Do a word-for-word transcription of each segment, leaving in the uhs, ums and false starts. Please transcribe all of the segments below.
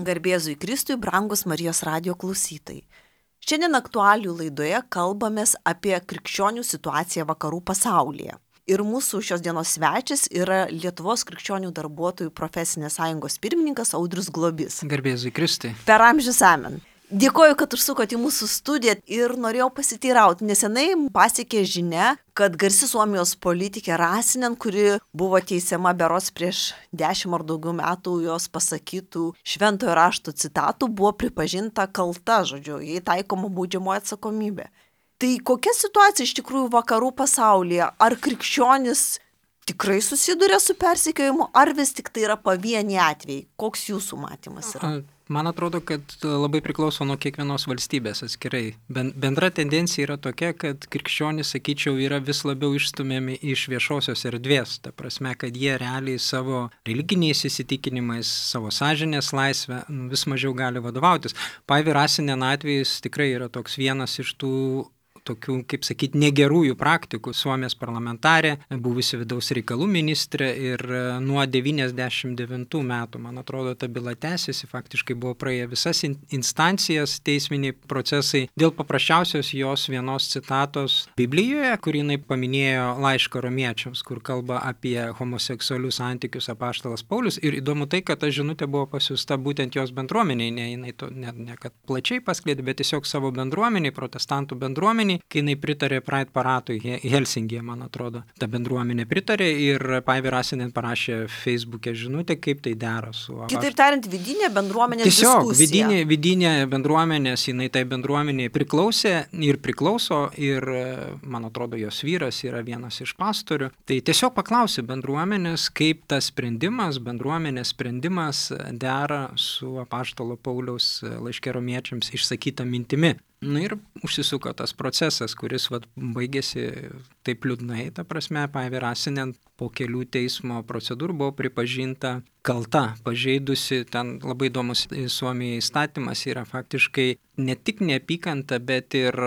Garbėzui Kristui, brangus Marijos radijo klausytojai. Šiandien aktualijų laidoje kalbamės apie krikščionių situaciją vakarų pasaulyje. Ir mūsų šios dienos svečias yra Lietuvos krikščionių darbuotojų profesinės sąjungos pirmininkas Audrius Globys. Garbėzui Kristui. Per amžius amen. Dėkoju, kad užsukote į mūsų studiją ir norėjau pasiteirauti. Nesenai pasiekė žinia, kad garsi Suomijos politikė Rasinen, kuri buvo teisiama berods prieš dešimt ar daugiau metų jos pasakytų šventojo rašto citatų, buvo pripažinta kalta, žodžiu, jai taikoma baudžiamoji atsakomybė. Tai kokia situacija iš tikrųjų vakarų pasaulyje? Ar krikščionis tikrai susiduria su persekiojimu, ar vis tik tai yra pavieniai atvejai? Koks jūsų matymas yra? Man atrodo, kad labai priklauso nuo kiekvienos valstybės atskirai. Bendra tendencija yra tokia, kad krikščionys, sakyčiau, yra vis labiau išstumiami iš viešosios erdvės. Ta prasme, kad jie realiai savo religiniais įsitikinimais, savo sąžinės laisvę vis mažiau gali vadovautis. Päivi Rasinen atvejis tikrai yra toks vienas iš tų tokių, kaip sakyti, negerųjų praktikų. Suomijos parlamentarė, buvusi vidaus reikalų ministrė ir nuo devyniasdešimt devintų metų, man atrodo, ta byla tęsiasi, faktiškai buvo praėję visas instancijas, teisminiai procesai, dėl paprasčiausios jos vienos citatos Biblijoje, kur jinai paminėjo laišką romiečiams, kur kalba apie homoseksualius santykius apaštalas Paulius. Ir įdomu tai, kad ta žinutė buvo pasiųsta būtent jos bendruomeniai, ne, jinai to, ne, ne kad plačiai paskleidė, bet tiesiog savo bendruomeniai, protestantų bendruomeniai, kai jinai pritarė Pride paradui Helsinkyje, man atrodo. Ta bendruomenė pritarė ir Päivi Rasinen parašė Facebook'e žinutę, kaip tai dera su... Kitaip tariant, vidinė bendruomenės Tiesiog, diskusija. Tiesiog, vidinė, vidinė bendruomenės, jinai tai bendruomeniai priklausė ir priklauso ir, man atrodo, jos vyras yra vienas iš pastorių. Tai tiesiog paklausė bendruomenės, kaip tas sprendimas, bendruomenės sprendimas dera su apaštalo Pauliaus laiške romiečiams išsakyta mintimi. Na ir užsisuko tas procesas, kuris vat, baigėsi taip liūdnai, ta prasme, Päivi Rasinen po kelių teismo procedūrų buvo pripažinta kalta, pažeidusi, ten labai įdomus Suomijai įstatymas yra faktiškai ne tik neapykanta, bet ir...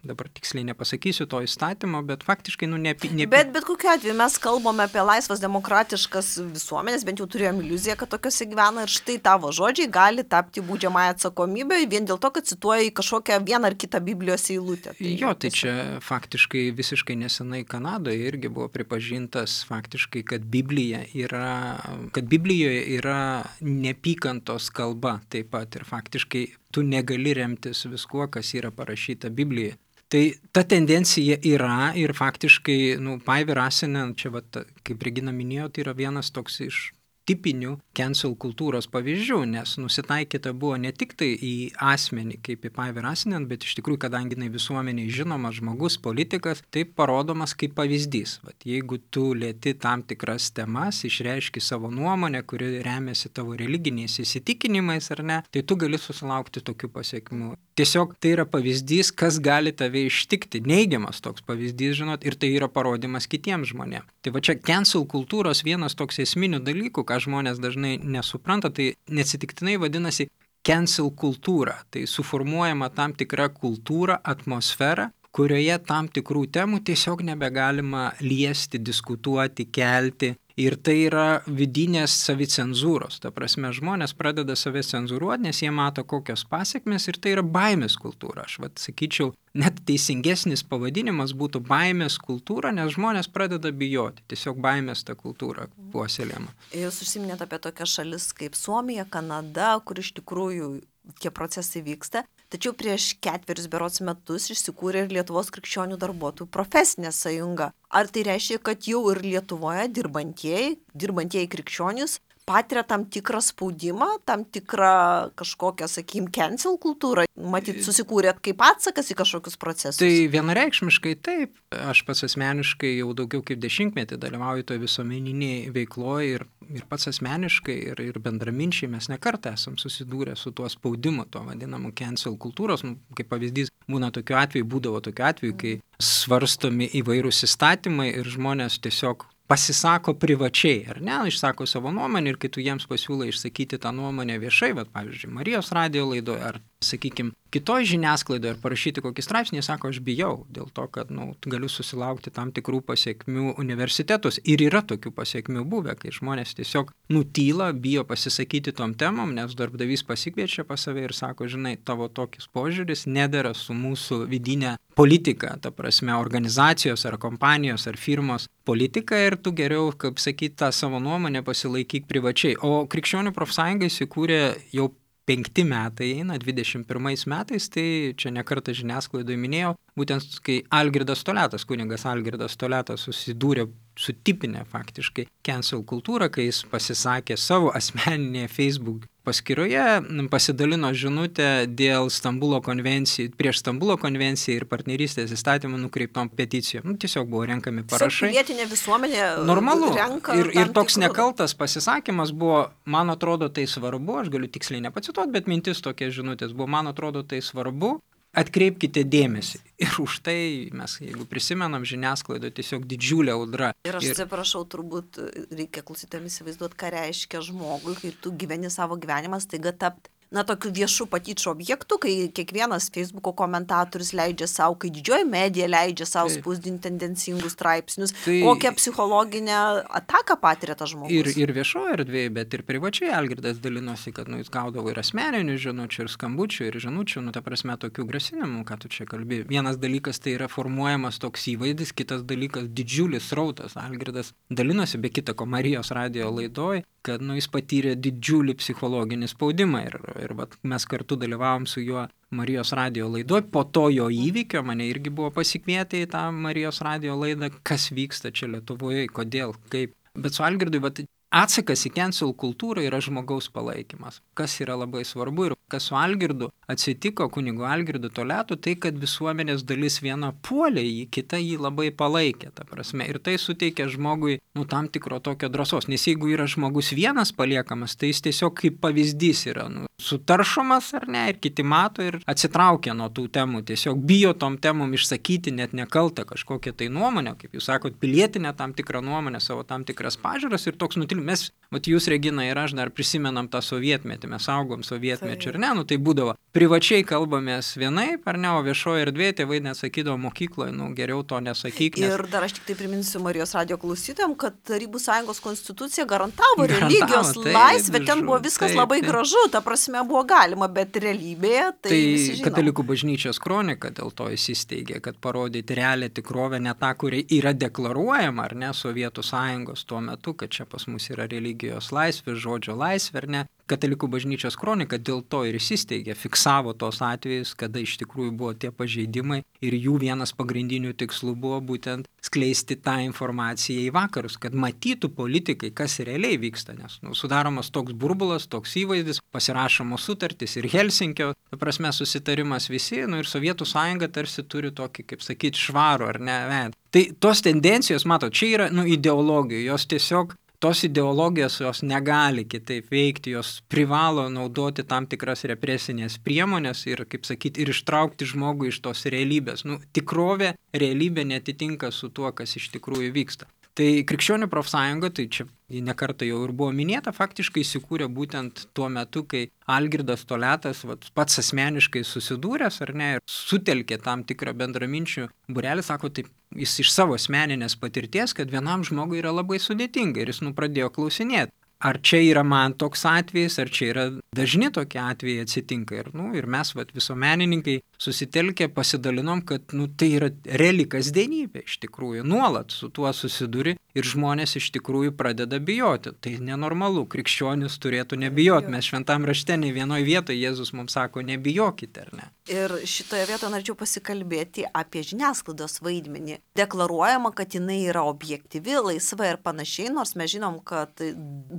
Dabar tiksliai nepasakysiu to įstatymo, bet faktiškai, nu, neapy... neapy... Bet bet kokiu atveju mes kalbame apie laisvas demokratiškas visuomenės, bent jau turėjom iliuziją, kad tokiose gyvena ir štai tavo žodžiai gali tapti baudžiamąją atsakomybę vien dėl to, kad cituoja kažkokią vieną ar kitą Biblijos eilutę. Tai jo, tai čia faktiškai visiškai nesenai Kanadoje irgi buvo pripažintas faktiškai, kad Biblija yra, kad Biblijoje yra neapykantos kalba taip pat ir faktiškai tu negali remtis viskuo, kas yra parašyta Biblijoje. Tai ta tendencija yra ir faktiškai, nu, Päivi Rasinen, čia, vat, kaip Regina minėjo, tai yra vienas toks iš tipinių cancel kultūros pavyzdžių, nes nusitaikyta buvo ne tik tai į asmenį, kaip į Päivi Rasinen, bet iš tikrųjų, kadangi jinai visuomeniai žinomas žmogus, politikas, tai parodomas kaip pavyzdys. Vat, jeigu tu lieti tam tikras temas, išreiški savo nuomonę, kuri remiasi tavo religiniais įsitikinimais ar ne, tai tu gali susilaukti tokių pasiekmių. Tiesiog tai yra pavyzdys, kas gali tave ištikti, neigiamas toks pavyzdys, žinot, ir tai yra parodymas kitiems žmonėms. Tai va čia cancel kultūros vienas toks esminių dalykų, ką žmonės dažnai nesupranta, tai neatsitiktinai vadinasi cancel kultūra. Tai suformuojama tam tikra kultūra, atmosfera, kurioje tam tikrų temų tiesiog nebegalima liesti, diskutuoti, kelti. Ir tai yra vidinės savicenzūros. Ta prasme, žmonės pradeda save cenzūruoti, nes jie mato kokios pasiekmes ir tai yra baimės kultūra. Aš vat sakyčiau, net teisingesnis pavadinimas būtų baimės kultūra, nes žmonės pradeda bijoti. Tiesiog baimės ta kultūra puoselėjama. Jūs užsiminėte apie tokias šalis kaip Suomija, Kanada, kur iš tikrųjų tie procesai vyksta. Tačiau prieš ketverius berods metus išsikūrė ir Lietuvos krikščionių darbuotojų profesinė sąjunga. Ar tai reiškia, kad jau ir Lietuvoje dirbantieji, dirbantieji krikščionys patiria tam tikrą spaudimą, tam tikrą kažkokią, sakykim, cancel kultūrą? Matyt, susikūrėt kaip atsakas į kažkokius procesus? Tai vienareikšmiškai taip. Aš pats asmeniškai jau daugiau kaip dešimtmetį dalyvauju toje visuomeniniai veikloje ir, ir pats asmeniškai ir, ir bendraminčiai mes nekartą esam susidūrę su tuo spaudimu, tuo vadinamu cancel kultūros. Kaip pavyzdys, būna tokiu atveju, būdavo tokiu atveju, kai svarstomi įvairūs įstatymai ir žmonės tiesiog pasisako privačiai, ar ne, išsako savo nuomonę ir kai tu jiems pasiūlai išsakyti tą nuomonę viešai, bet pavyzdžiui, Marijos radijo laidoje ar, sakykime, kitoj žiniasklaidoje ar parašyti kokį straipsnį, jie sako, aš bijau, dėl to, kad nu, galiu susilaukti tam tikrų pasiekmių universitetus. Ir yra tokių pasiekmių buvę, kai žmonės tiesiog nutyla, bijo pasisakyti tom temom, nes darbdavys pasikviečia pas save ir sako, žinai, tavo tokis požiūris nedera su mūsų vidinė politika, ta prasme, organizacijos ar kompanijos ar firmos politika ir tu geriau, kaip sakyti, tą savo nuomonę pasilaikyk privačiai. O Krikščionių profsąjunga įsikūrė jau penkti metai eina, dvidešimt pirmais metais, tai čia nekartą žiniasklaidoje minėjau, būtent kai Algirdas Toliatas, kunigas Algirdas Toliatas susidūrė su tipinė faktiškai cancel kultūra, kai jis pasisakė savo asmeninėje Facebook paskyroje, pasidalino žinutę dėl Stambulo konvencijų, prieš Stambulo konvenciją ir partnerystės įstatymą nukreiptom peticijom. Nu, tiesiog buvo renkami parašai. Pilietinė visuomenė normalu. renka. Ir, ir toks tikrų... nekaltas pasisakymas buvo, man atrodo tai svarbu, aš galiu tiksliai nepacituoti, bet mintis tokia žinutės buvo, man atrodo tai svarbu, atkreipkite dėmesį. Ir už tai mes, jeigu prisimenam, žiniasklaidoje tiesiog didžiulė audra. Ir aš atsiprašau, turbūt reikia klausytojams įsivaizduoti, ką reiškia žmogui, kai tu gyveni savo gyvenimą, staiga tapti na, tokių viešų patyčių objektų, kai kiekvienas Facebooko komentatorius leidžia savo, kai didžioji medija leidžia savo spausdinti tendencingus straipsnius, tai kokią psichologinę ataką patiria tas žmogus. Ir, ir viešoje erdvėje, bet ir privačiai Algirdas dalinosi, kad nu, jis gaudavo ir asmeninių žinučių, ir skambučių, ir žinučių, nu, ta prasme, tokių grasinimų, ką tu čia kalbi. Vienas dalykas tai yra formuojamas toks įvaizdis, kitas dalykas didžiulis srautas. Algirdas dalinosi, be kita ko, Marijos radijo laidoj, kad nu, jis patyrė didžiulį psichologinį spaudimą ir, ir vat, mes kartu dalyvavom su juo Marijos radijo laidoj. Po to jo įvykio mane irgi buvo pasikvietę į tą Marijos radijo laidą, kas vyksta čia Lietuvoje, kodėl, kaip. Bet su Algirdui vat, atsakas į cancel kultūrą yra žmogaus palaikymas, kas yra labai svarbu ir kas su Algirdu atsitiko, kunigu Algirdu Toliatu, tai kad visuomenės dalis viena puolė jį, kita jį labai palaikė, ta prasme. Ir tai suteikia žmogui nu, tam tikro tokio drąsos, nes jeigu yra žmogus vienas paliekamas, tai jis tiesiog kaip pavyzdys yra nu, sutaršomas ar ne, ir kiti mato ir atsitraukia nuo tų temų, tiesiog bijo tom temom išsakyti net nekaltą kažkokią tai nuomonę, kaip jūs sakot, pilietinę tam tikrą nuomonę, savo tam tikras pažiūras ir toks nutilimas. Mes, mat jūs, Regina, ir aš dar prisimenam tą sovietmetį, mes augom sovietmečiu, ar ne, nu tai būdavo, privačiai kalbamės vienaip, ar ne, o viešoje erdvėje tėvai nesakydavo mokykloje, nu geriau to nesakyk. Nes... Ir dar aš tik tai priminsiu Marijos radijo klausytojams, kad Tarybų Sąjungos konstitucija garantavo, garantavo religijos tai, laisvę, ten buvo viskas taip, labai taip. gražu, ta prasme buvo galima, bet realybėje tai, tai Katalikų bažnyčios kronika dėl to įsisteigė, kad parodyti realią tikrovę, ne tą, kuri yra deklaruojama, ar ne, Sovietų Sąjungos tuo metu, kad čia pas mus yra religijos laisvė, žodžio laisvė, ar ne. Katalikų bažnyčios kronika dėl to ir įsisteigė, fiksavo tos atvejus, kada iš tikrųjų buvo tie pažeidimai ir jų vienas pagrindinių tikslų buvo būtent skleisti tą informaciją į vakarus, kad matytų politikai, kas realiai vyksta, nes nu, sudaromas toks burbulas, toks įvaizdis, pasirašomos sutartys ir Helsinkio, ta prasme, susitarimas visi, nu ir Sovietų Sąjunga tarsi turi tokį, kaip sakyti, švarų ar ne, ved. Tai tos tendencijos, matot, čia yra nu, ideologijų, jos tiesiog tos ideologijos jos negali kitaip veikti, jos privalo naudoti tam tikras represinės priemonės ir, kaip sakyti, ir ištraukti žmogų iš tos realybės. Nu, tikrovė, realybė netitinka su tuo, kas iš tikrųjų vyksta. Tai Krikščionių profsąjunga, tai čia nekartą jau ir buvo minėta, faktiškai įsikūrė būtent tuo metu, kai Algirdas Toliatas vat, pats asmeniškai susidūręs ar ne, ir sutelkė tam tikrą bendraminčių būrelį, sako, taip, jis iš savo asmeninės patirties, kad vienam žmogui yra labai sudėtinga ir jis nu pradėjo klausinėti. Ar čia yra man toks atvejis, ar čia yra dažni tokie atvejai atsitinka. Ir, nu, ir mes, vat, visuomenininkai, susitelkę pasidalinom, kad nu, tai yra reali kasdienybė iš tikrųjų. Nuolat su tuo susiduri ir žmonės iš tikrųjų pradeda bijoti. Tai nenormalu, krikščionis turėtų nebijoti. Mes šventam rašte ne vienoje vietoje Jėzus mums sako, nebijokite, ar ne? Ir šitoje vietoje norėčiau pasikalbėti apie žiniasklaidos vaidmenį. Deklaruojama, kad jinai yra objektyvi, laisva ir panašiai, nors mes žinom, kad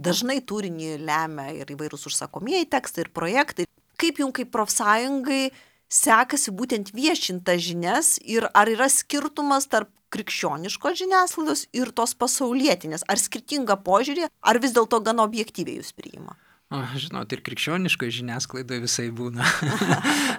dažnai turinį lemia ir įvairūs užsakomieji tekstai ir projektai. Kaip jums kaip profsąjungai sekasi būtent viešinti žinias ir ar yra skirtumas tarp krikščioniškos žiniasklaidos ir tos pasaulietinės? Ar skirtinga požiūrė, ar vis dėlto gana objektyviai jūs priima? O, žinot, ir krikščioniškoje žiniasklaidoje visai būna.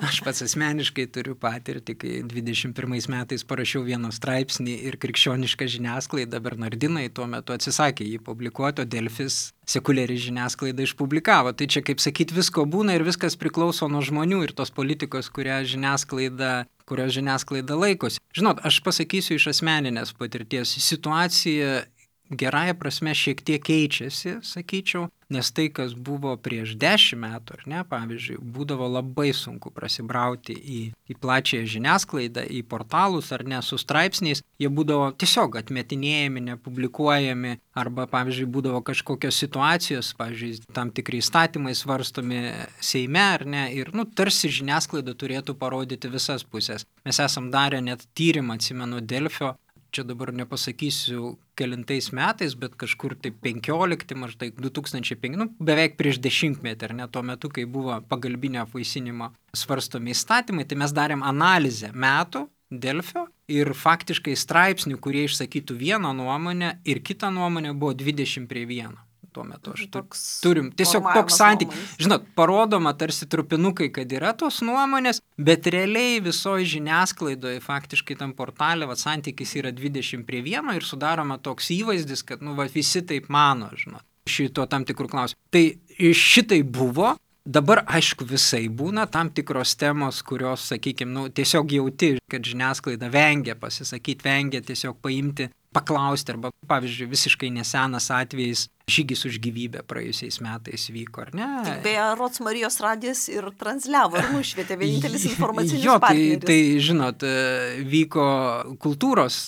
Aš pats asmeniškai turiu patirtį, kai dvidešimt pirmais metais parašiau vieną straipsnį ir krikščioniška žiniasklaida, Bernardinai tuo metu atsisakė jį publikuoti, o Delfis sekuliari žiniasklaida išpublikavo. Tai čia, kaip sakyti, visko būna ir viskas priklauso nuo žmonių ir tos politikos, kurią žiniasklaida, kurios žiniasklaida laikosi. Žinot, aš pasakysiu iš asmeninės patirties, situacija gerąja prasme šiek tiek keičiasi, sakyčiau, nes tai, kas buvo prieš dešimt metų, ar ne, pavyzdžiui, būdavo labai sunku prasibrauti į, į plačiąją žiniasklaidą, į portalus ar ne, su straipsniais, jie būdavo tiesiog atmetinėjami, nepublikuojami, arba, pavyzdžiui, būdavo kažkokios situacijos, pavyzdžiui, tam tikri įstatymai svarstomi Seime, ar ne, ir, nu, tarsi žiniasklaida turėtų parodyti visas pusės. Mes esam darę net tyrimą, atsimenu, Delfio, čia dabar nepasakysiu kelintais metais, bet kažkur tai penkiolikti, maždaug du tūkstančiai penkti, nu, beveik prieš dešimtmetį, ar ne, tuo metu, kai buvo pagalbinio apvaisinimo svarstomi įstatymai, tai mes darėm analizę metų Delfio ir faktiškai straipsnių, kurie išsakytų vieną nuomonę ir kitą nuomonę buvo dvidešimt prie vieno. Tuo metu aš toks turim tiesiog toks santykis. Žinot, parodoma tarsi trupinukai, kad yra tos nuomonės, bet realiai visoje žiniasklaidoje, faktiškai tam portale, va, santykis yra dvidešimt prie vieno ir sudaroma toks įvaizdis, kad, nu, va, visi taip mano, žinot, šito tam tikrų klausimų. Tai šitai buvo. Dabar, aišku, visai būna tam tikros temos, kurios, sakykime, nu, tiesiog jauti, kad žiniasklaida vengia pasisakyti, vengia tiesiog paimti, paklausti, arba, pavyzdžiui, visiškai nesenas atvejis žygis už gyvybę praėjusiais metais vyko, ar ne? Tik beje, Rods Marijos radijas ir transliavo, ir nušvietė vienintelis informacinis jo, tai, partneris. Tai, žinot, vyko kultūros,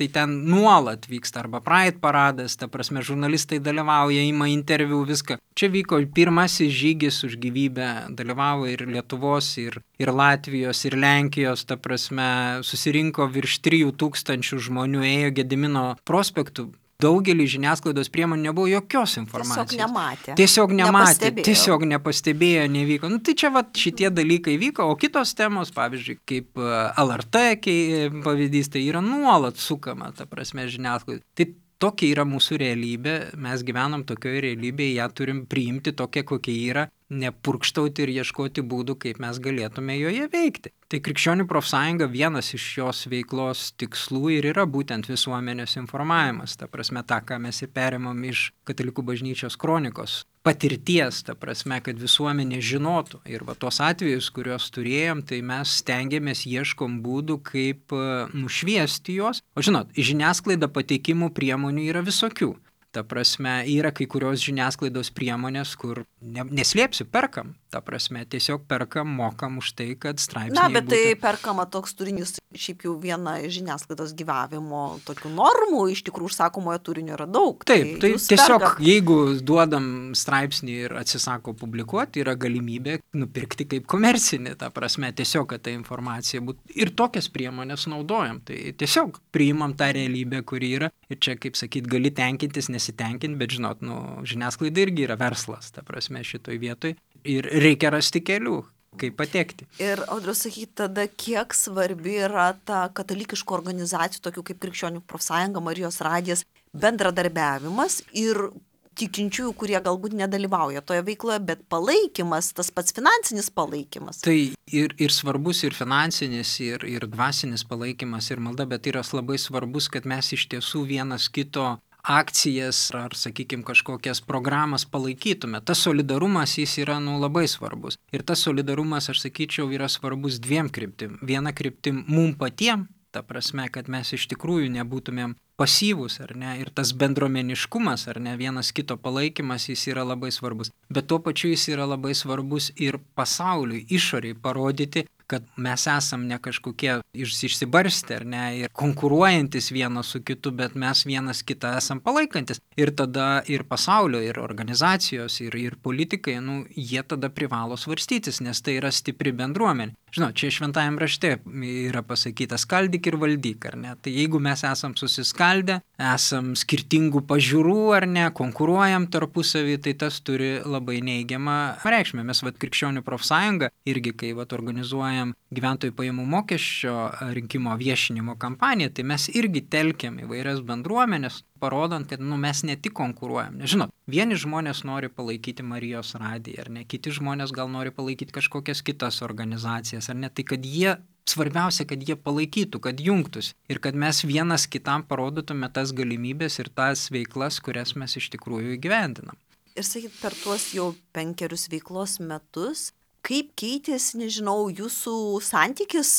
tai ten nuolat vyksta, arba Pride paradas, ta prasme, žurnalistai dalyvauja, ima interviu, viską. Čia vyko pirmasis žygis už gyvybę, dalyvavo ir Lietuvos, ir, ir Latvijos, ir Lenkijos, ta prasme, susirinko virš trijų tūkstančių žmonių, ėjo Gedimino prospektu. Daugelį žiniasklaidos priemonių nebuvo jokios informacijos. Tiesiog nematė. Tiesiog nematė, nepastebėjo. tiesiog nepastebėjo, nevyko. Nu, tai čia va, šitie dalykai vyko, o kitos temos, pavyzdžiui, kaip L R T pavyzdys, tai yra nuolat sukama, ta prasme, žiniasklaida. Tai tokia yra mūsų realybė, mes gyvenam tokioje realybėje, ją turim priimti tokia, kokia yra, nepurkštauti ir ieškoti būdų, kaip mes galėtume joje veikti. Tai Krikščionių profsąjunga vienas iš jos veiklos tikslų ir yra būtent visuomenės informavimas. Ta prasme, tą, ką mes ir perimam iš Katalikų bažnyčios kronikos patirties, ta prasme, kad visuomenė žinotų. Ir va tos atvejus, kuriuos turėjom, tai mes stengiamės, ieškom būdų, kaip nušviesti juos. O žinot, žiniasklaida pateikimų priemonių yra visokių. Ta prasme, yra kai kurios žiniasklaidos priemonės, kur ne, neslėpsiu, perkam. Ta prasme, tiesiog perkam, mokam už tai, kad straipsniai Na, bet būtų... tai perkama toks turinys, šiaip jau viena iš žiniasklaidos gyvavimo tokių normų, iš tikrųjų užsakomojo turinio yra daug. Taip, tai, tai tiesiog, perkat. Jeigu duodam straipsnį ir atsisako publikuoti, yra galimybė nupirkti kaip komercinį, ta prasme, tiesiog, kad ta informacija būtų. Ir tokias priemonės naudojam. Tai tiesiog priimam tą realybę, kuri yra. Ir čia, kaip sakyt, gali tenkintis, nesitenkinti, bet žinot, nu, žiniasklaida irgi yra verslas, ta prasme, šitoj vietoj. Ir reikia rasti kelių, kaip patekti. Ir, Audriau, sakyt, tada kiek svarbi yra ta katalikiškų organizacijų, tokių kaip Krikščionių profsąjunga, Marijos radijas, bendradarbiavimas ir tikinčiųjų, kurie galbūt nedalyvauja toje veikloje, bet palaikymas, tas pats finansinis palaikymas. Tai ir, ir svarbus ir finansinis, ir, ir dvasinis palaikymas, ir malda, bet yra labai svarbus, kad mes iš tiesų vienas kito akcijas ar, sakykime, kažkokias programas palaikytume. Tas solidarumas jis yra nu, labai svarbus. Ir tas solidarumas, aš sakyčiau, yra svarbus dviem kryptim. Viena kryptim mum patiem, ta prasme, kad mes iš tikrųjų nebūtumėm pasyvus, ar ne, ir tas bendruomeniškumas, ar ne, vienas kito palaikymas, jis yra labai svarbus. Bet tuo pačiu jis yra labai svarbus ir pasauliui, išoriai parodyti, kad mes esam ne kažkokie išsibarstę, ar ne, ir konkuruojantis vienas su kitu, bet mes vienas kitą esam palaikantis. Ir tada ir pasaulio, ir organizacijos, ir, ir politikai, nu, jie tada privalo svarstytis, nes tai yra stipri bendruomenė. Žinau, čia šventajam rašte yra pasakyta skaldyk ir valdyk, ar ne. Tai jeigu mes esam susiskaldę, esam skirtingų pažiūrų, ar ne, konkuruojam tarpusavį, tai tas turi labai neigiamą reikšmę. Mes, vat, Krikščionių profsąjunga, irgi kai vat, organizuojam organizuojam gyventojų pajamų mokesčio rinkimo viešinimo kampaniją, tai mes irgi telkiam įvairias bendruomenės, parodant, kad nu, mes ne tik konkuruojam. Žinot, vieni žmonės nori palaikyti Marijos radiją, ar ne, kiti žmonės gal nori palaikyti kažkokias kitas organizacijas, ar ne, tai kad jie, svarbiausia, kad jie palaikytų, kad jungtųsi ir kad mes vienas kitam parodytume tas galimybės ir tas veiklas, kurias mes iš tikrųjų įgyvendinam. Ir sakyt, per tuos jau penkerius veiklos metus, kaip keitėsi, nežinau, jūsų santykis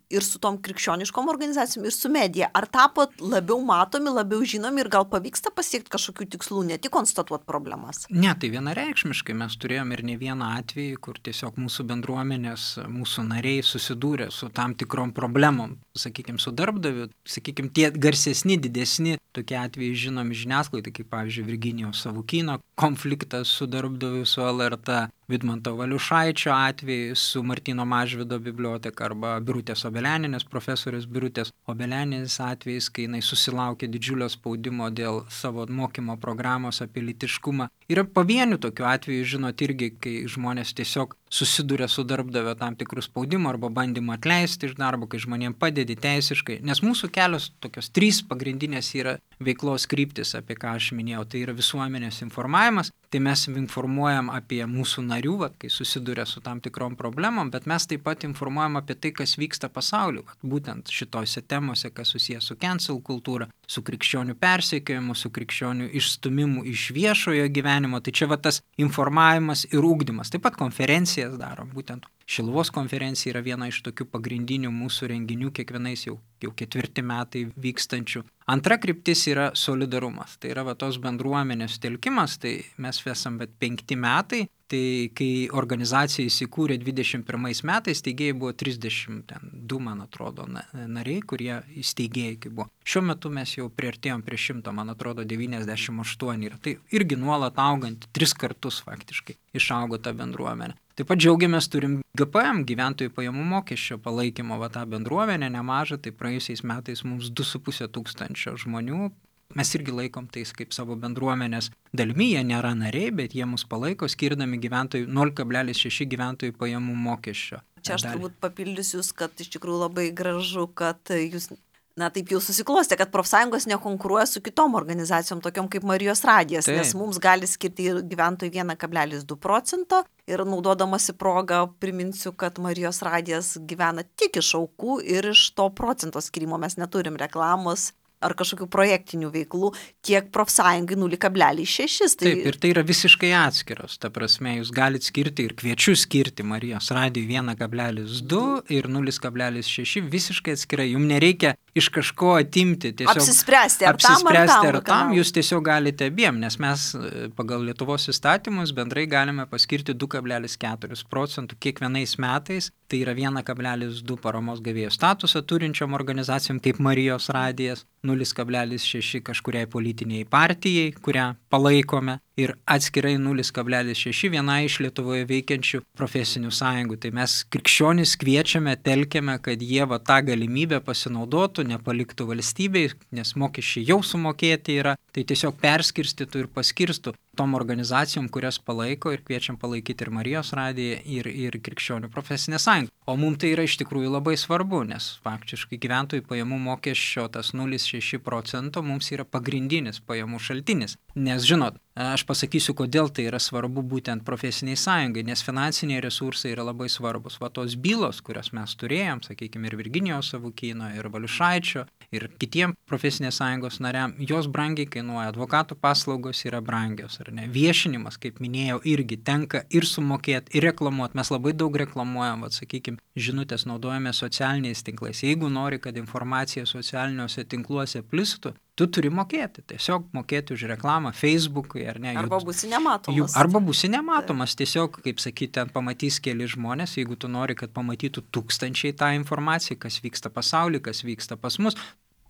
ir su tom krikščioniškom organizacijom, ir su medija? Ar tapot labiau matomi, labiau žinomi ir gal pavyksta pasiekti kažkokių tikslų, ne tik konstatuoti problemas? Ne, tai vienareikšmiškai mes turėjom ir ne vieną atvejį, kur tiesiog mūsų bendruomenės, mūsų nariai susidūrė su tam tikrom problemom, sakykime, su darbdaviu, sakykime, tie garsesni, didesni tokie atvejai žinomi žiniasklaidai, kaip pavyzdžiui Virginijaus Savukyno konfliktas su darbdaviu, su L R T, Vidmanto Valiušaičio atvejai su Martyno Mažvydo biblioteka arba Birutės Obelianinės, profesorės Birutės Obelianinės atvejais, kai jinai susilaukė didžiulio spaudimo dėl savo mokymo programos apie lytiškumą. Yra pavienių tokių atvejų, žinot, irgi, kai žmonės tiesiog susiduria su darbdavio tam tikrų spaudimų arba bandymų atleisti iš darbo, kai žmonėms padedi teisiškai. Nes mūsų kelios tokios trys pagrindinės yra veiklos kryptis, apie ką aš minėjau. Tai yra visuomenės informavimas, tai mes informuojam apie mūsų narių, vat, kai susiduria su tam tikrom problemom, bet mes taip pat informuojam apie tai, kas vyksta pasauliu. Vat, būtent šitose temose, kas susijęs su cancel kultūra, su krikščionių persekiojimu, su krikščionių išstumimu iš viešojo gyvenimo. Tai čia va tas informavimas ir ugdymas. Taip pat konferencijas darom. Būtent Šiluvos konferencija yra viena iš tokių pagrindinių mūsų renginių kiekvienais jau, jau ketvirti metai vykstančių. Antra kryptis yra solidarumas. Tai yra va tos bendruomenės telkimas. Tai mes esam bet penkti metai. Tai kai organizacija įsikūrė dvidešimt pirmais metais, steigėjai buvo trisdešimt du, man atrodo, nariai, kurie įsteigėjai kai buvo. Šiuo metu mes jau priartėjom prie šimto, man atrodo, devyniasdešimt aštuoni yra. Tai irgi nuolat augant, tris kartus faktiškai išaugo ta bendruomenė. Taip pat džiaugiamės, turim G P M, gyventojų pajamų mokesčio palaikymo, va tą bendruomenę nemažą, tai praėjusiais metais mums du su puse tūkstančio žmonių. Mes irgi laikom tais kaip savo bendruomenės dalimi, jie nėra nariai, bet jie mus palaiko, skirdami gyventojų nul kablelis šeši gyventojų pajamų mokesčio. Čia aš turbūt papildysiu jūs, kad iš tikrųjų labai gražu, kad jūs, na taip jau susiklostė, kad profsąjungos nekonkuruoja su kitom organizacijom, tokiom kaip Marijos radijas, taip. Nes mums gali skirti gyventojų vienas kablelis du procento ir naudodamasi progą priminsiu, kad Marijos radijas gyvena tik iš aukų ir iš to procento skirimo mes neturim reklamos ar kažkokių projektinių veiklų, tiek profsąjungai nul kablelis šeši. Tai... Taip, ir tai yra visiškai atskiros. Ta prasme, jūs galite skirti ir kviečiu skirti Marijos radijui vienas kablelis du ir nul kablelis šeši visiškai atskirai. Jums nereikia iš kažko atimti. Tiesiog apsispręsti, ar apsispręsti, tam, ar tam, tam. Jūs tiesiog galite abiem, nes mes pagal Lietuvos įstatymus bendrai galime paskirti du kablelis keturi procentų kiekvienais metais. Tai yra vienas kablelis du paramos gavėjo statusą turinčiom organizacijom kaip Marijos radijas, nul kablelis šeši kažkuriai politiniai partijai, kurią palaikome, ir atskirai nul kablelis šeši viena iš Lietuvoje veikiančių profesinių sąjungų. Tai mes krikščionis kviečiame, telkiame, kad jie va tą galimybę pasinaudotų, nepaliktų valstybei, nes mokesčiai jau sumokėti yra, tai tiesiog perskirstytų ir paskirstų tom organizacijom, kurias palaiko, ir kviečiam palaikyti ir Marijos radiją, ir, ir krikščionių profesinę sąjungą. O mums tai yra iš tikrųjų labai svarbu, nes faktiškai gyventojų pajamų mokesčio tas nul kablelis šeši procento mums yra pagrindinis pajamų šaltinis. Nes žinot, aš pasakysiu, kodėl tai yra svarbu būtent profesiniai sąjungai, nes finansiniai resursai yra labai svarbus. Va tos bylos, kurias mes turėjom, sakykime, ir Virginijaus Savukyno, ir Valiušaičio, ir kitiem profesinės sąjungos nariam, jos brangiai kainuoja, advokatų paslaugos yra brangios, ar ne? Viešinimas, kaip minėjau, irgi tenka ir sumokėti, ir reklamuoti. Mes labai daug reklamuojam, va, sakykime, žinutės naudojame socialiniais tinklais. Jeigu nori, kad informacija socialiniuose tinkluose plistų, tu turi mokėti, tiesiog mokėti už reklamą Facebook'ui, ar ne? Arba būsi nematomas. Jų, arba būsi nematomas, tiesiog, kaip sakyti, ten pamatys keli žmonės, jeigu tu nori, kad pamatytų tūkstančiai tą informaciją, kas vyksta pasaulyje, kas vyksta pas mus,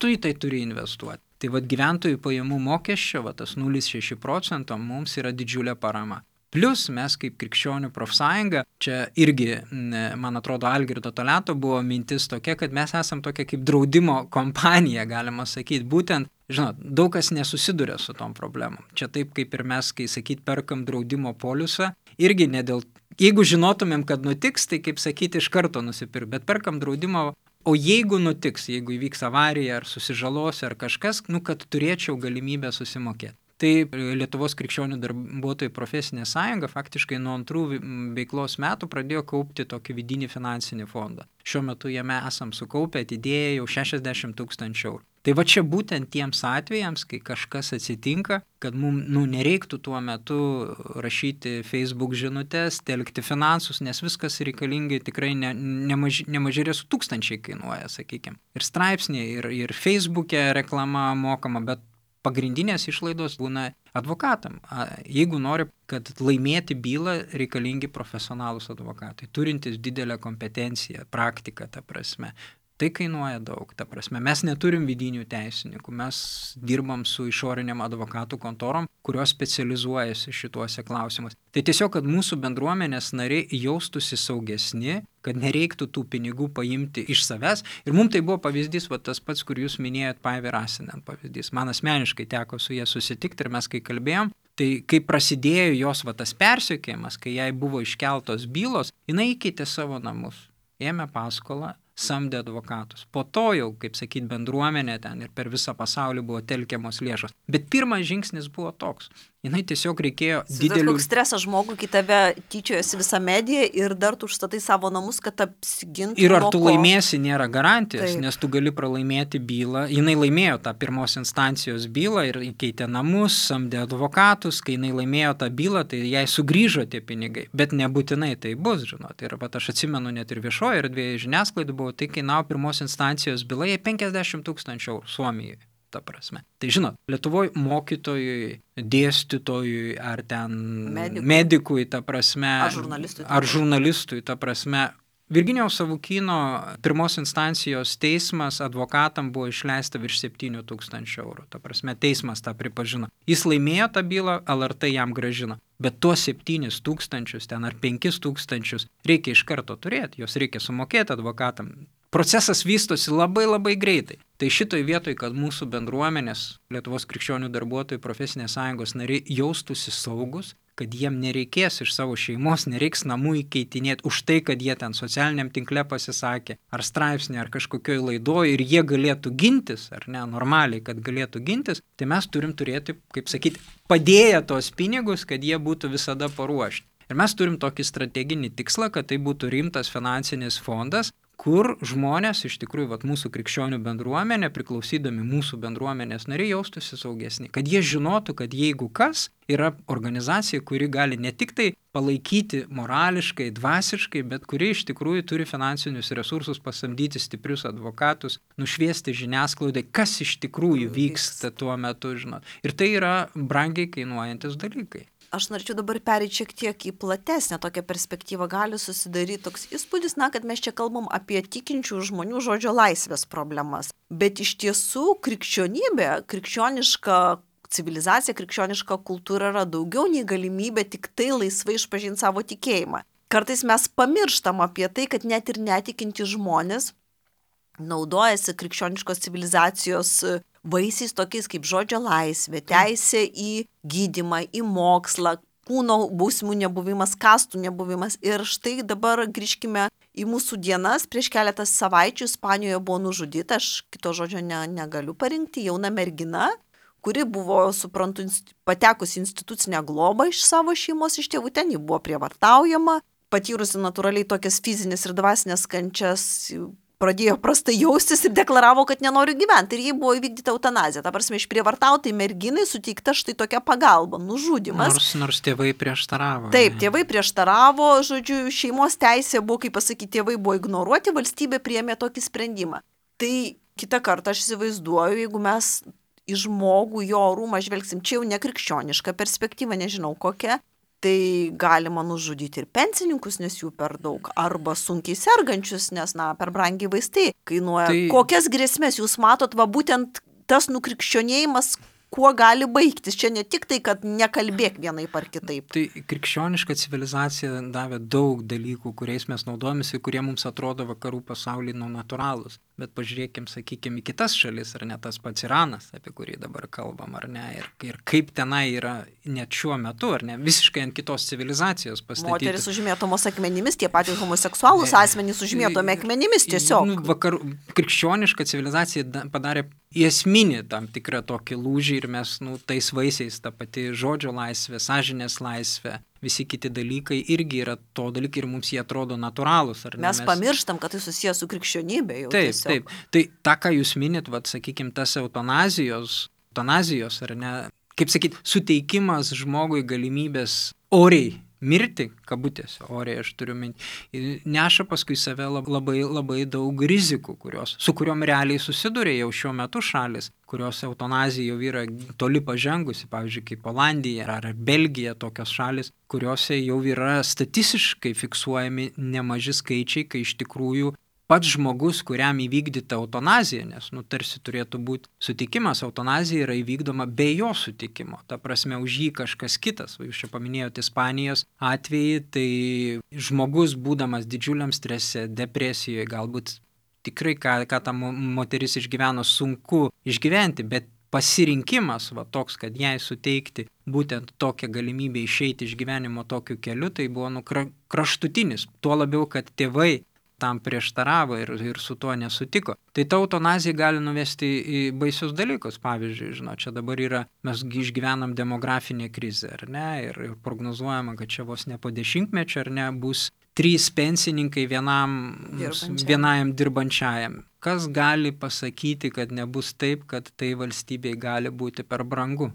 tu į tai turi investuoti. Tai vad gyventojų pajamų mokesčio, va tas nul kablelis šeši procento mums yra didžiulė parama. Plius mes kaip krikščionių profsąjunga, čia irgi, man atrodo, Algirdo Toliato buvo mintis tokia, kad mes esam tokia kaip draudimo kompanija, galima sakyti. Būtent, žinot, daug kas nesusiduria su tom problemom. Čia taip kaip ir mes, kai sakyt, perkam draudimo poliusą, irgi ne dėl, jeigu žinotumėm, kad nutiks, tai kaip sakyti, iš karto nusipirk, bet perkam draudimą, o jeigu nutiks, jeigu įvyks avarija ar susižalosiu ar kažkas, nu, kad turėčiau galimybę susimokėti. Tai Lietuvos krikščionių darbuotojų profesinė sąjunga faktiškai nuo antrų veiklos metų pradėjo kaupti tokį vidinį finansinį fondą. Šiuo metu jame esam sukaupę atidėję jau šešiasdešimt tūkstančių eurų. Tai va čia būtent tiems atvejams, kai kažkas atsitinka, kad mums nu, nereiktų tuo metu rašyti Facebook žinutes, telkti finansus, nes viskas reikalingai tikrai ne, nemaž, nemažai su tūkstančiai kainuoja, sakykime. Ir straipsniai, ir, ir Facebook'e reklama mokama, bet pagrindinės išlaidos būna advokatam. Jeigu nori, kad laimėti bylą, reikalingi profesionalūs advokatai, turintys didelę kompetenciją, praktiką, ta prasme. Tai kainuoja daug, ta prasme. Mes neturim vidinių teisininkų, mes dirbam su išoriniam advokatų kontorom, kurios specializuojasi šituose klausimus. Tai tiesiog, kad mūsų bendruomenės nariai jaustųsi saugesni, kad nereiktų tų pinigų paimti iš savęs. Ir mums tai buvo pavyzdys, va, tas pats, kur jūs minėjot, Paivi Rasinen pavyzdys. Man asmeniškai teko su jie susitikti ir mes kai kalbėjom, tai kai prasidėjo jos va, tas persekiojimas, kai jai buvo iškeltos bylos, jinai įkeitė savo namus, ėmė paskolą, samdė advokatus. Po to jau, kaip sakyt, bendruomenė ten ir per visą pasaulį buvo telkiamos lėšos. Bet pirmas žingsnis buvo toks. Jinai tiesiog reikėjo didelių... Koks stresas žmogui, kai tave tyčiojasi visą mediją ir dar tu užstatai savo namus, kad apsigintų. Ir ar tu laimėsi, nėra garantijos, Taip. Nes tu gali pralaimėti bylą. Jinai laimėjo tą pirmos instancijos bylą ir įkeitė namus, samdė advokatus. Kai jinai laimėjo tą bylą, tai jai sugrįžo tie pinigai. Bet nebūtinai tai bus, žinot. Ir pat aš atsimenu net ir viešoje erdvėje žiniasklaidų buvo, tai kainavo pirmos instancijos byla, jai penkiasdešimt tūkstančių eurų Suomijoje. Ta prasme. Tai žinot, Lietuvoje mokytojui, dėstytojui ar ten medikui, medikui ta prasme, ar žurnalistui, ar žurnalistui, ta prasme, Virginijaus Savukyno pirmos instancijos teismas advokatam buvo išleista virš septynių tūkstančių eurų. Ta prasme, teismas tą pripažino. Jis laimėjo tą bylą, L R T jam grąžino. Bet tuos septynis tūkstančius ten ar penkis tūkstančius reikia iš karto turėti, jos reikia sumokėti advokatam. Procesas vystosi labai labai greitai. Tai šitoj vietoj, kad mūsų bendruomenės, Lietuvos krikščionių darbuotojų profesinės sąjungos nariai jaustųsi saugus, kad jiem nereikės iš savo šeimos, nereiks namų įkeitinėti už tai, kad jie ten socialiniam tinkle pasisakė, ar straipsnį, ar kažkokioj laidoj ir jie galėtų gintis, ar ne, normaliai, kad galėtų gintis, tai mes turim turėti, kaip sakyti, padėję tos pinigus, kad jie būtų visada paruošti. Ir mes turim tokį strateginį tikslą, kad tai būtų rimtas finansinis fondas, kur žmonės, iš tikrųjų, vat, mūsų krikščionių bendruomenė, priklausydami mūsų bendruomenės nariai, jaustųsi saugesni. Kad jie žinotų, kad jeigu kas, yra organizacija, kuri gali ne tik tai palaikyti morališkai, dvasiškai, bet kuri iš tikrųjų turi finansinius resursus pasamdyti stiprius advokatus, nušviesti žiniasklaidai, kas iš tikrųjų vyksta tuo metu, žinot. Ir tai yra brangiai kainuojantis dalykai. Aš norėčiau dabar pereiti šiek tiek į platesnę tokią perspektyvą. Gali susidaryti toks įspūdis, na, kad mes čia kalbam apie tikinčių žmonių žodžio laisvės problemas. Bet iš tiesų krikščionybė, krikščioniška civilizacija, krikščioniška kultūra yra daugiau nei galimybė tik tai laisvai išpažinti savo tikėjimą. Kartais mes pamirštam apie tai, kad net ir netikinti žmonės naudojasi krikščioniškos civilizacijos vaisiais tokiais kaip žodžio laisvė, teisė į gydymą, į mokslą, kūno bausmių nebuvimas, kastų nebuvimas. Ir štai dabar grįžkime į mūsų dienas. Prieš keletą savaičių Ispanijoje buvo nužudyta, aš kito žodžio ne, negaliu parinkti, jauna mergina, kuri buvo, suprantu, patekusi institucinę globą iš savo šeimos, iš tėvų, ten ji buvo prievartaujama, patyrusi natūraliai tokias fizinės ir dvasinės kančias, pradėjo prastai jaustis ir deklaravo, kad nenori gyventi. Ir jai buvo įvykdyta eutanazija. Ta prasme, išprievartautai merginai suteikta štai tokia pagalba, nužudymas. Nors, nors tėvai prieštaravo. Taip, tėvai prieštaravo, žodžiu, šeimos teisė buvo, kaip pasakyti, tėvai buvo ignoruoti, valstybė priėmė tokį sprendimą. Tai kitą kartą aš įsivaizduoju, jeigu mes į žmogų, jo orumą žvelgsim, čia jau nekrikščioniška perspektyva, nežinau kokia, tai galima nužudyti ir pensininkus, nes jų per daug, arba sunkiai sergančius, nes, na, per brangiai vaistai kainuoja. Tai... Kokias grėsmės jūs matot, va būtent tas nukrikščionėjimas, kuo gali baigtis. Čia ne tik tai, kad nekalbėk vienaip ar kitaip. Tai krikščioniška civilizacija davė daug dalykų, kuriais mes naudojamės ir kurie mums atrodo vakarų pasaulyje nu natūralūs. Bet pažiūrėkim, sakykime, į kitas šalis, ar ne tas pats Iranas, apie kurį dabar kalbam, ar ne, ir, ir kaip tenai yra net šiuo metu, ar ne, visiškai ant kitos civilizacijos pastatyti. Moteris užmėtomos akmenimis, tie patys homoseksualūs asmenys užmėtomi akmenimis tiesiog. Nu, vakar, krikščioniška civilizacija padarė esminį tam tikrą tokį lūžį ir mes nu, tais vaisiais, ta pati žodžio laisvė, sąžinės laisvė, visi kiti dalykai irgi yra to dalykai ir mums jie atrodo natūralūs. Ar ne? Mes, mes pamirštam, kad tai susijęs su krikščionybė jau taip, tiesiog. Taip, tai tą, ką jūs minit, vat, sakykime, tas eutanazijos, eutanazijos, ar ne, kaip sakyti, suteikimas žmogui galimybės oriai mirti, kabutėse, oriai aš turiu minti, neša paskui save labai, labai daug rizikų, kurios, su kuriuom realiai susiduria jau šiuo metu šalis, kurios eutanazija jau yra toli pažengusi, pavyzdžiui, kaip Olandija ar Belgija, tokios šalis, kuriuose jau yra statistiškai fiksuojami nemaži skaičiai, kai iš tikrųjų pats žmogus, kuriam įvykdyta eutanazija, nes nu, tarsi turėtų būti sutikimas, eutanazija yra įvykdoma be jo sutikimo. Ta prasme, už jį kažkas kitas. Jūs čia paminėjote Ispanijos atvejį, tai žmogus, būdamas didžiuliam strese, depresijoje, galbūt tikrai, ką, ką ta moteris išgyveno, sunku išgyventi, bet pasirinkimas va, toks, kad jai suteikti būtent tokią galimybę išeiti iš gyvenimo tokiu keliu, tai buvo nu, kraštutinis. Tuo labiau, kad tėvai tam prieštaravo ir, ir su tuo nesutiko. Tai ta eutanazija gali nuvesti į baisius dalykus. Pavyzdžiui, žinot, čia dabar yra, mes išgyvenam demografinę krizę, ar ne, ir, ir prognozuojama, kad čia vos ne po dešimtmečio, ar ne, bus trys pensininkai vienam, dirbančiam. vienajam dirbančiajam. Kas gali pasakyti, kad nebus taip, kad tai valstybei gali būti per brangu?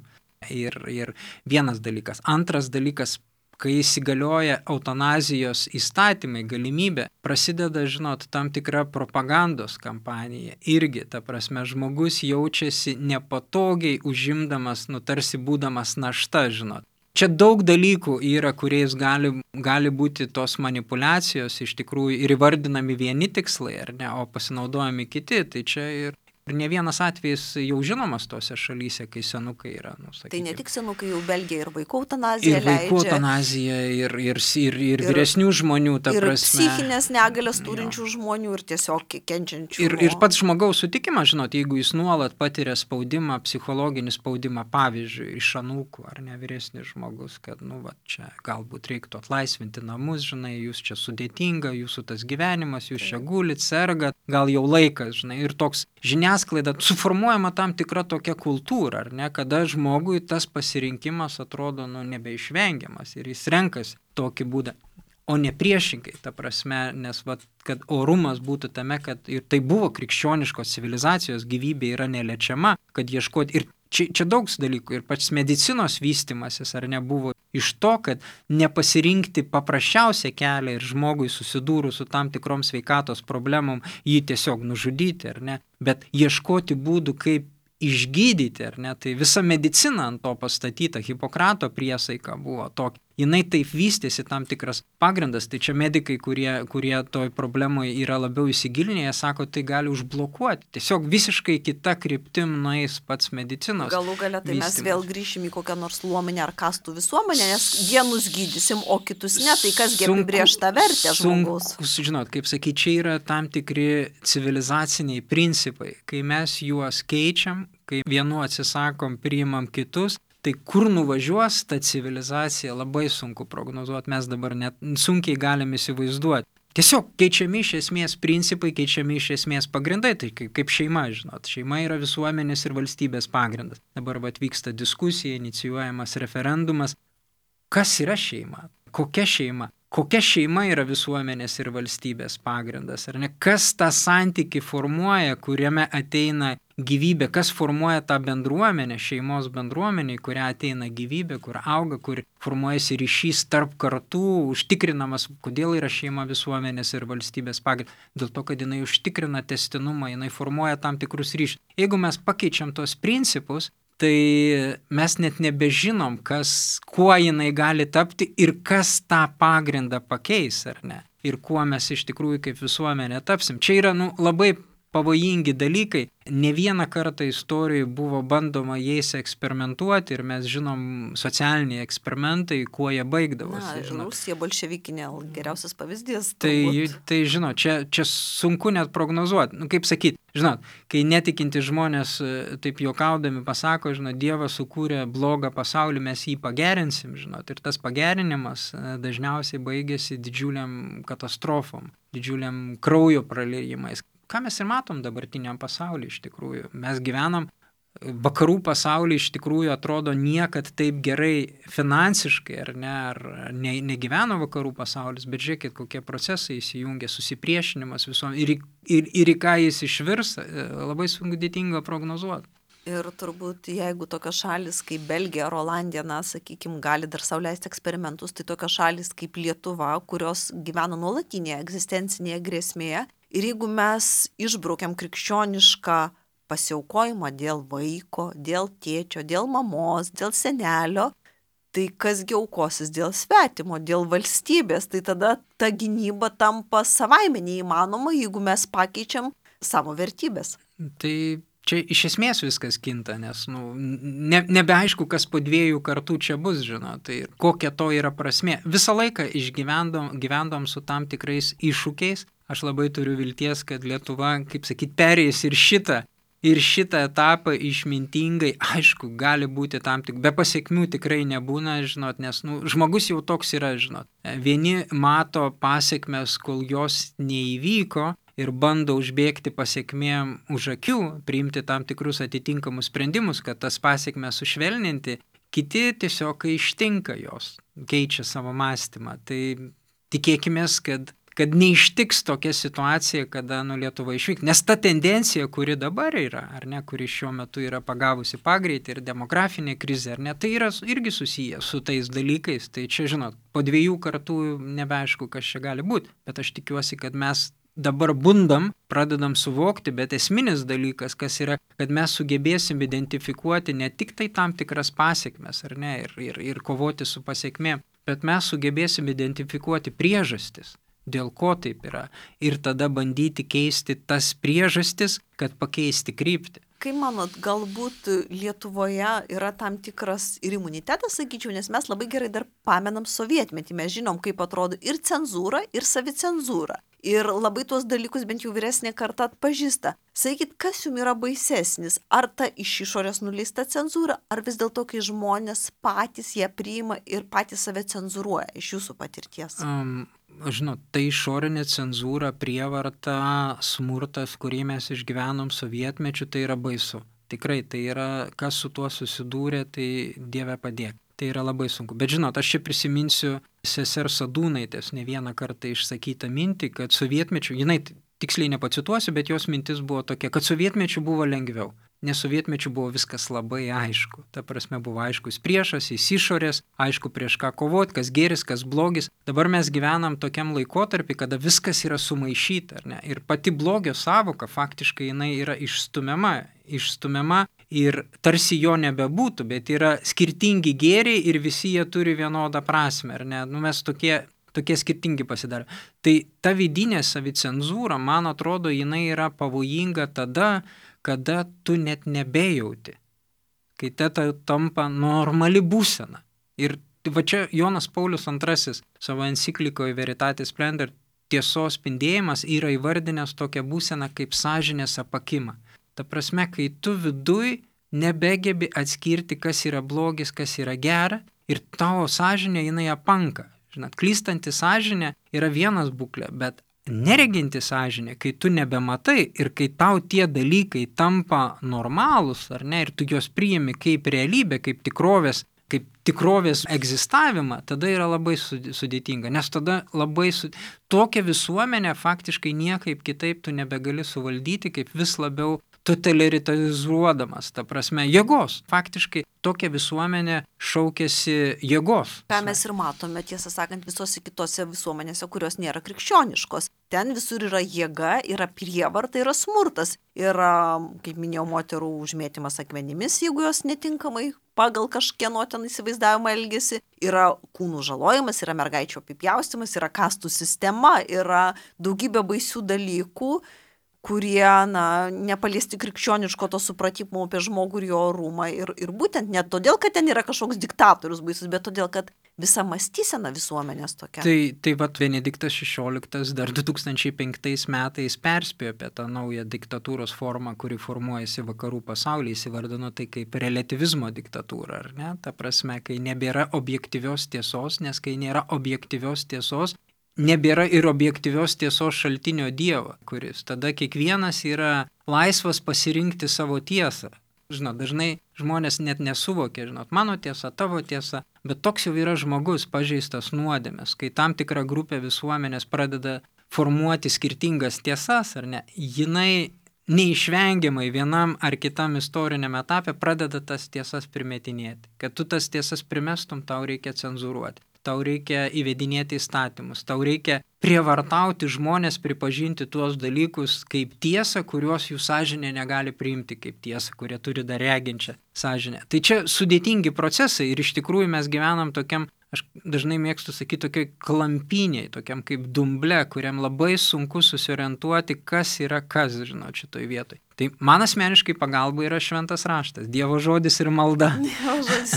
Ir, ir vienas dalykas. Antras dalykas, kai įsigalioja eutanazijos įstatymai, galimybė, prasideda, žinot, tam tikra propagandos kampanija. Irgi, ta prasme, žmogus jaučiasi nepatogiai užimdamas, nu tarsi būdamas našta, žinot. Čia daug dalykų yra, kuriais gali, gali būti tos manipulacijos iš tikrųjų ir įvardinami vieni tikslai, ar ne, o pasinaudojami kiti. Tai čia ir Ir ne vienas atvejis jau žinomas tose šalyse, kai senukai yra. Nu, tai ne tik senukai, jau Belgija ir vaikų eutanazija leidžia. Ir vaikų eutanazija, ir, ir, ir, ir vyresnių žmonių, ta ir prasme. Ir psichinės negalės turinčių jo. žmonių ir tiesiog kenčiančių. Ir, ir pats žmogaus sutikimas, žinot, jeigu jis nuolat patiria spaudimą, psichologinį spaudimą, pavyzdžiui, iš anūkų ar ne vyresnis žmogus, kad, nu, va, čia galbūt reiktų atlaisvinti namus, žinai, jūs čia sudėtinga, jūsų tas gyvenimas, jūs čia gulit, sergat, gal jau laikas, žinai, ir toks žiniasklaida suformuojama tam tikra tokia kultūra, ar ne, kada žmogui tas pasirinkimas atrodo nu, nebeišvengiamas ir jis renkasi tokį būdą, o ne priešingai, ta prasme, nes vat, kad orumas būtų tame, kad ir tai buvo krikščioniškos civilizacijos, gyvybė yra neliečiama, kad ieškoti ir čia, čia daug dalykų ir pats medicinos vystimasis ar nebuvo iš to, kad nepasirinkti paprasčiausią kelią ir žmogui susidūrus su tam tikrom sveikatos problemom jį tiesiog nužudyti, ar ne, bet ieškoti būdų, kaip išgydyti, ar ne, tai visa medicina ant to pastatyta, Hipokrato priesaika buvo tokia. Jinai taip vystėsi tam tikras pagrindas, tai čia medikai, kurie, kurie toj problemoje yra labiau įsigilinę, jie sako, tai gali užblokuoti. Tiesiog visiškai kita kryptim nueis pats medicinos. Galų gale tai vystymas. Mes vėl grįšim į kokią nors luomenę ar kastų visuomenę, nes vienus gydysim, o kitus ne, tai kasgi apibrėž tą vertę žmogaus. Sunku, žinot, kaip sakyti, čia yra tam tikri civilizaciniai principai, kai mes juos keičiam, kai vienu atsisakom, priimam kitus, tai kur nuvažiuos ta civilizacija labai sunku prognozuoti, mes dabar net sunkiai galime įsivaizduoti. Tiesiog keičiami iš esmės principai, keičiami iš esmės pagrindai, tai kaip, kaip šeima, žinot, šeima yra visuomenės ir valstybės pagrindas. Dabar vat vyksta diskusija, inicijuojamas referendumas. Kas yra šeima? Kokia šeima? Kokia šeima yra visuomenės ir valstybės pagrindas, ar ne? Kas tą santykį formuoja, kuriame ateina gyvybė, kas formuoja tą bendruomenę, šeimos bendruomenę, į kurią ateina gyvybė, kur auga, kur formuojasi ryšys tarp kartų, užtikrinamas, kodėl yra šeima visuomenės ir valstybės pagrindas. Dėl to, kad jinai užtikrina tęstinumą, jinai formuoja tam tikrus ryšius. Jeigu mes pakeičiam tos principus, tai mes net nebežinom, kas, kuo jinai gali tapti ir kas tą pagrindą pakeis, ar ne? Ir kuo mes iš tikrųjų kaip visuomenė tapsim. Čia yra nu, labai pavojingi dalykai. Ne vieną kartą istorijoje buvo bandoma jais eksperimentuoti ir mes žinom socialiniai eksperimentai, kuo jie baigdavosi. Na, Rusija bolševikinė geriausias pavyzdys. Tai, turbūt. tai žinot, čia, čia sunku net prognozuoti. Nu, kaip sakyti, žinot, kai netikinti žmonės taip juokaudami pasako, žinot, Dievas sukūrė blogą pasaulį, mes jį pagerinsim, žinot, ir tas pagerinimas dažniausiai baigėsi didžiuliam katastrofom, didžiuliam kraujo praliejimais. Ką mes ir matom dabartiniam pasaulyje iš tikrųjų. Mes gyvenam, vakarų pasaulyje iš tikrųjų atrodo niekad taip gerai finansiškai, ar ne, ar ne, negyveno vakarų pasaulis, bet žiūrėkit, kokie procesai įsijungia, susipriešinimas visom ir, ir, ir į ką jis išvirs, labai sudėtinga prognozuoti. Ir turbūt, jeigu tokios šalis kaip Belgija ar Olandija, na, sakykime, gali dar sau leisti eksperimentus, tai tokios šalis kaip Lietuva, kurios gyvena nuolatinėje egzistencinėje grėsmėje. Ir jeigu mes išbraukiam krikščionišką pasiaukojimą dėl vaiko, dėl tėčio, dėl mamos, dėl senelio, tai kasgi aukosis dėl svetimo, dėl valstybės, tai tada ta gynyba tampa savaime neįmanoma, jeigu mes pakeičiam savo vertybės. Tai čia iš esmės viskas kinta, nes nu, ne, nebeaišku, kas po dviejų kartų čia bus, žinot, tai kokia to yra prasmė. Visą laiką išgyvendom gyvendom su tam tikrais iššūkiais. Aš labai turiu vilties, kad Lietuva, kaip sakyt, perėjus ir šitą, ir šitą etapą išmintingai, aišku, gali būti tam tik, be pasiekmių tikrai nebūna, žinot, nes nu, žmogus jau toks yra, žinot. Vieni mato pasiekmes, kol jos neįvyko ir bando užbėgti pasiekmėm už akių, priimti tam tikrus atitinkamus sprendimus, kad tas pasiekmes sušvelninti, kiti tiesiog, kai ištinka jos, keičia savo mąstymą. Tai tikėkimės, kad kad neištiks tokia situacija, kada nu, Lietuva išvyks. Nes ta tendencija, kuri dabar yra, ar ne, kuri šiuo metu yra pagavusi pagreitį ir demografinė krizė, ar ne, tai yra irgi susiję su tais dalykais. Tai čia, žinot, po dviejų kartų nebeaišku, kas čia gali būti. Bet aš tikiuosi, kad mes dabar bundam, pradedam suvokti, bet esminis dalykas, kas yra, kad mes sugebėsim identifikuoti ne tik tai tam tikras pasiekmes, ar ne, ir, ir, ir kovoti su pasiekmėm, bet mes sugebėsim identifikuoti priežastis. Dėl ko taip yra, ir tada bandyti keisti tas priežastis, kad pakeisti kryptį. Kaip manot, galbūt Lietuvoje yra tam tikras ir imunitetas, sakyčiau, nes mes labai gerai dar pamenam sovietmetį, mes žinom, kaip atrodo ir cenzūra, ir savicenzūra. Ir labai tuos dalykus bent jau vyresnė karta atpažįsta. Sakykit, kas jums yra baisesnis? Ar ta iš išorės nuleista cenzūra, ar vis dėlto, kai žmonės patys ją priima ir patys save cenzūruoja iš jūsų patirties? Um, žinot, tai išorinė cenzūra, prievarta, smurtas, kurį mes išgyvenom sovietmečiu, tai yra baisu. Tikrai, tai yra, kas su tuo susidūrė, tai Dieve padėk. Tai yra labai sunku. Bet žinot, aš čia prisiminsiu sesers Sadūnaitės ne vieną kartą išsakytą mintį, kad sovietmečiu, jinai tiksliai nepacituosiu, bet jos mintis buvo tokia, kad sovietmečiu buvo lengviau. Nes sovietmečiu buvo viskas labai aišku. Ta prasme buvo aiškus priešas, jis išorės, aišku prieš ką kovoti, kas geris, kas blogis. Dabar mes gyvenam tokiam laikotarpį, kada viskas yra sumaišyta, ar ne? Ir pati blogio sąvoka faktiškai jinai yra išstumiama, išstumiama ir tarsi jo nebebūtų, bet yra skirtingi gėriai ir visi jie turi vienodą prasmę, ar ne? Nu, mes tokie, tokie skirtingi pasidarė. Tai ta vidinė savicenzūra, man atrodo, jinai yra pavojinga tada, kada tu net nebejauti, kai tai tampa normali būsena. Ir va čia Jonas Paulius antrasis savo enciklikoje Veritatis Splendor tiesos spindėjimas yra įvardinęs tokią būseną kaip sąžinės apakimą. Ta prasme, kai tu viduj nebegebi atskirti, kas yra blogis, kas yra gera, ir tavo sąžinė jinai apanka. Žinot, klystanti sąžinė yra vienas būklė, bet nereginti sąžinė, kai tu nebematai ir kai tau tie dalykai tampa normalūs, ar ne, ir tu juos priimi kaip realybę, kaip tikrovės, kaip tikrovės egzistavimą, tada yra labai sudėtinga, nes tada labai su... tokia visuomenė faktiškai niekaip kitaip tu nebegali suvaldyti, kaip vis labiau totalitarizuodamas, ta prasme, jėgos. Faktiškai tokia visuomenė šaukėsi jėgos. Ką mes ir matome, tiesą sakant, visose kitose visuomenėse, kurios nėra krikščioniškos. Ten visur yra jėga, yra prievarta, yra smurtas. Yra, kaip minėjau, moterų užmėtymas akmenimis, jeigu jos netinkamai pagal kažkieno ten įsivaizdavimą elgesi. Yra kūnų žalojimas, yra mergaičių apipjaustymas, yra kastų sistema, yra daugybė baisių dalykų, kurie, na, nepaliesti krikščioniško to supratimo apie žmogų ir jo orumą. Ir, ir būtent ne todėl, kad ten yra kažkoks diktatorius baisus, bet todėl, kad visa mąstysena visuomenės tokia. Tai, tai vat Benediktas šešioliktas dar du tūkstančiai penktais metais perspėjo apie tą naują diktatūros formą, kuri formuojasi vakarų pasaulyje, įsivardino tai kaip relativizmo diktatūra, ar ne? Ta prasme, kai nebėra objektyvios tiesos, nes kai nėra objektyvios tiesos, nebėra ir objektyvios tiesos šaltinio Dievo, kuris tada kiekvienas yra laisvas pasirinkti savo tiesą. Žinot, dažnai žmonės net nesuvokia, žinot, mano tiesa, tavo tiesa, bet toks jau yra žmogus pažeistas nuodėmės, kai tam tikra grupė visuomenės pradeda formuoti skirtingas tiesas, ar ne, jinai neišvengiamai vienam ar kitam istoriniam etapė pradeda tas tiesas primetinėti. Kad tu tas tiesas primestum, tau reikia cenzūruoti. Tau reikia įvedinėti įstatymus, tau reikia prievartauti žmonės pripažinti tuos dalykus kaip tiesą, kuriuos jų sąžinė negali priimti kaip tiesą, kurie turi dar reginčią sąžinę. Tai čia sudėtingi procesai ir iš tikrųjų mes gyvenam tokiam, aš dažnai mėgstu sakyti, tokiai klampiniai, tokiam kaip dumble, kuriam labai sunku susiorientuoti, kas yra kas, žinot, šitoj vietoj. Tai man asmeniškai pagalba yra šventas raštas, Dievo žodis ir malda. Dievo žodis.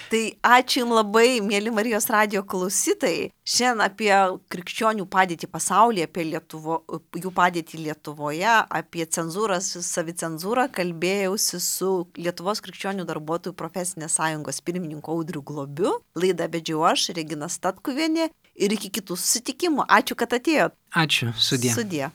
Tai ačiū Jums labai, mėly Marijos radijo klausytojai. Šiandien apie krikščionių padėtį pasaulyje, apie Lietuvo, jų padėtį Lietuvoje, apie cenzūrą, savicenzūrą kalbėjausi su Lietuvos krikščionių darbuotojų profesinės sąjungos pirmininku Audriu Globiu. Laidą vedžiau aš, Regina Statkuvienė, ir iki kitų susitikimų. Ačiū, kad atėjot. Ačiū, sudie. Sudie.